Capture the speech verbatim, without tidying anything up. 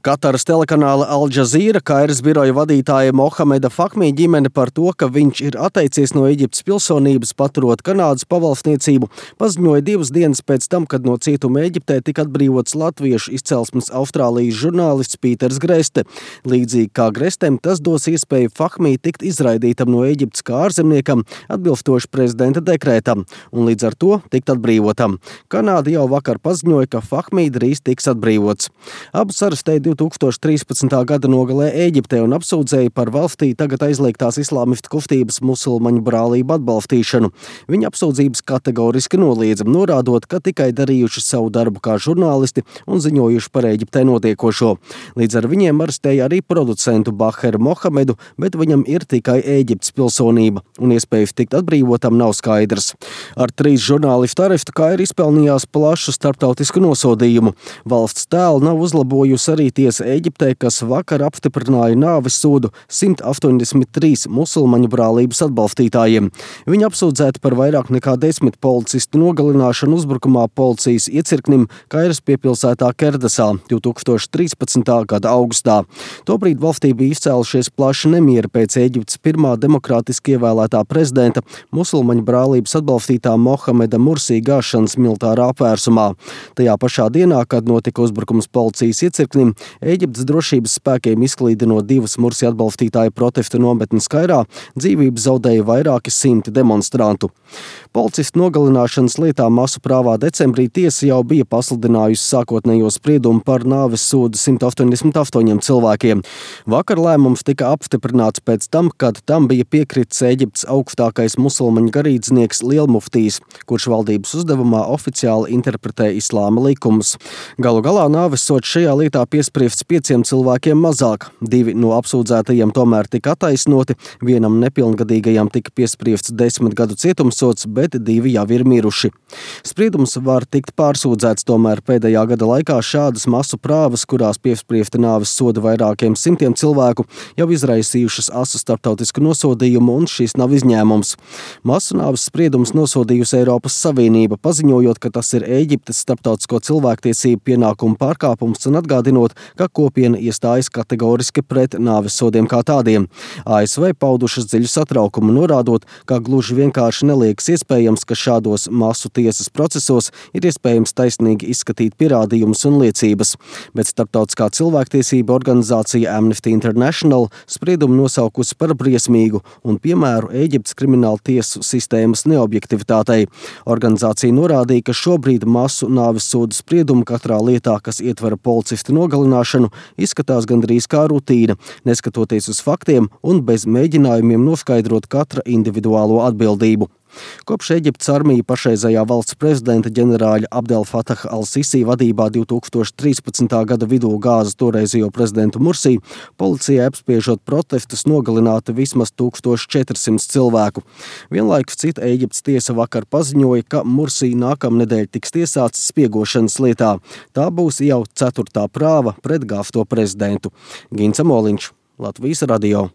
Kataras telekanāla Al Jazeera Kairas biroja vadītāja Mohameda Fahmī ģimene par to, ka viņš ir atteicies no Ēģiptes pilsonības, paturot Kanādas pavalsniecību, paziņoja divas dienas pēc tam, kad no cietuma Ēģiptē tika atbrīvots latviešu izcelsmes Austrālijas žurnālists Pīters Greste. Līdzīgi kā Grestem, tas dos iespēju Fahmī tikt izraidītam no Ēģiptes kā ārzemniekam, atbilstoši prezidenta dekrētam, un līdz ar to tikt atbrīvotam. Kanāda jau vakar paziņoja, ka Fahmī drīz tiks atbrīvots. Abus arestēja divi tūkstoši trīspadsmitā gada nogalē Ēģiptē un apsūdzēja par valstī tagad aizliegtās islāmistu kustības musulmaņu brālību atbalstīšanu. Viņa apsūdzības kategoriski noliedza, norādot, ka tikai darījuši savu darbu kā žurnālisti un ziņojuši par Ēģiptē notiekošo. Līdz ar viņiem arestēja arī producentu Baheru Mohamedu, bet viņam ir tikai Ēģiptes pilsonība, un iespējas tikt atbrīvotam nav skaidrs. Ar trīs žurnālistu arestu Kaira izpelnījās plašu starptautisku nosodījumu. Valsts tēlu nav uzlabojusi arī tiesa Ēģiptē, kas vakar apstiprināja nāves sodu simt astoņdesmit trīs musulmaņu brālības atbalstītājiem. Viņi apsūdzēti par vairāk nekā desmit policistu nogalināšanu uzbrukumā policijas iecirknim Kairas piepilsētā Kerdasā divi tūkstoši trīspadsmitā gada augustā. Tobrīd valstī bija izcēlušies plaši nemieri pēc Ēģiptes pirmā demokrātiski ievēlētā prezidenta, musulmaņu brālības atbalstītā Mohameda Mursī gāšanas militārā apvērsumā. Tajā pašā dienā, kad notika uzbrukums policijas iecirknim, Ēģiptes drošības spēkiem izklīdinot divas Mursī atbalstītāju protesta nometnes Kairā, dzīvību zaudēja vairāki simti demonstrantu. Policistu nogalināšanas lietā masu prāvā decembrī tiesa jau bija pasludinājusi sākotnējo spriedumu par nāves sodu simt astoņdesmit astoņiem cilvēkiem. Vakar lēmums tika apstiprināts pēc tam, kad tam bija piekritis Ēģiptes augstākais musulmaņu garīdznieks Lielmuftijs, kurš valdības uzdevumā oficiāli interpretē islāma likumus. Galu galā nāves sods šajā lietā piespriests pieciem cilvēkiem mazāk. Divi no apsūdzētajiem tomēr tika attaisnoti, vienam nepilngadīgajam tika piespriests desmit gadu cietumsods, bet divi jau ir miruši. Spriedums var tikt pārsūdzēts, tomēr pēdējā gada laikā šādas masu prāvas, kurās piespriesta nāves soda vairākiem simtiem cilvēku, jau izraisījušas asu starptautisku nosodījumu, un šis nav izņēmums. Masu nāves spriedums nosodījusi Eiropas Savienība, paziņojot, ka tas ir Ēģiptes starptautisko cilvēktiesību pienākumu pārkāpums un atgādinot, ka kopiena iestājas kategoriski pret nāves sodiem kā tādiem. A S V paudušas dziļu satraukumu, norādot, ka gluži vienkārši neliekas iespējams, ka šādos masu tiesas procesos ir iespējams taisnīgi izskatīt pierādījumus un liecības, bet starptautiskā cilvēktiesība organizācija Amnesty International spriedumu nosaukusi par briesmīgu un piemēru Ēģiptes krimināla tiesu sistēmas neobjektivitātei. Organizācija norādīja, ka šobrīd masu nāves sodu spriedumu katrā lietā, kas ietver policistu nogalināšanu, izskatās gandrīz kā rutīna, neskatoties uz faktiem un bez mēģinājumiem noskaidrot katra individuālo atbildību. Kopš Ēģiptes armija pašreizējā valsts prezidenta ģenerāļa Abdel Fatah al-Sisi vadībā divi tūkstoši trīspadsmitā gada vidū gāza toreizējo prezidentu Mursī, policijai apspiežot protestus nogalināti vismaz tūkstoš četri simti cilvēku. Vienlaikus cita Ēģiptes tiesa vakar paziņoja, ka Mursī nākamnedēļ tiks tiesāts spiegošanas lietā. Tā būs jau ceturtā prāva pret gāzto prezidentu. Gints Amoliņš, Latvijas radio.